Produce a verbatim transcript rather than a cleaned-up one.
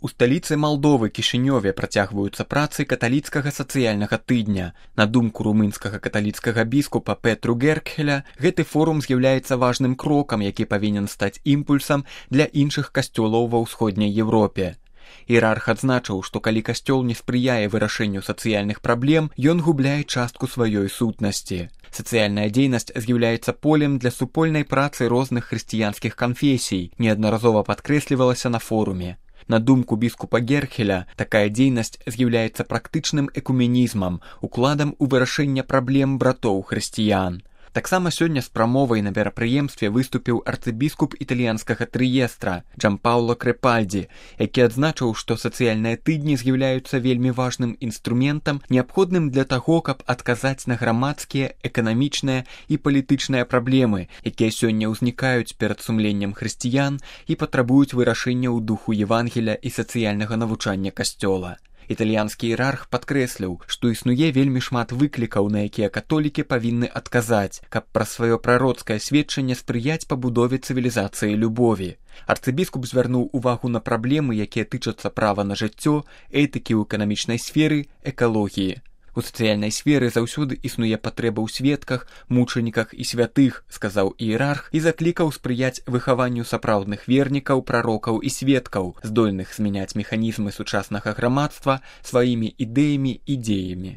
У сталіцы Малдовы Кішынёве працягваюцца працы каталіцкага сацыяльнага тыдня. На думку румынскага каталіцкага біскупа Петру Геркхеля, гэты форум з'яўляецца важным крокам, які павінен стаць імпульсам для іншых касцёлаў ва ўсходняй Еўропе. Іерарх адзначыў, што калі касцёл не спрыяе вырашэнню сацыяльных праблем, ён губляе частку сваёй сутнасці. Сацыяльная дзейнасць з'яўляецца полем для супольнай працы розных хрысціянскіх канфесій, неаднаразова падкрэслівалася на форуме. На думку біскупа Геркхеля, такая дзейнасць з'яўляецца практычным экуменізмам, укладам у вырашэнне праблем братоў хрысціян. Таксама сёння з прамовай на мерапрыемстве выступіў арцыбіскуп італьянскага Трыестра Джампауло Крепальдзі, які адзначыў, што сацыяльныя тыдні з'яўляюцца вельмі важным інструментам, неабходным для таго, каб адказаць на грамадскія, эканамічныя і палітычныя праблемы, якія сёння ўзнікаюць перад сумленнем хрысціян і патрабуюць вырашэння ў духу Евангеля і сацыяльнага навучання касцёла. Італьянскі іерарх падкрэсліў, што існуе вельмі шмат выклікаў, на якія католікі павінны адказаць, каб праз сваё прароцкае сведчанне спрыяць пабудове цывілізацыі любові. Арцыбіскуп звярнуў увагу на праблемы, якія тычацца права на жыццё, этыкі ў эканамічнай сферы, экалогіі. У сацыяльнай сферы заўсёды існуе патрэба ў сведках, мучаніках і святых, сказаў іерарх і заклікаў спрыяць выхаванню сапраўдных вернікаў, прарокаў і сведкаў, здольных змяняць механізмы сучаснага грамадства сваімі ідэямі і дзеямі.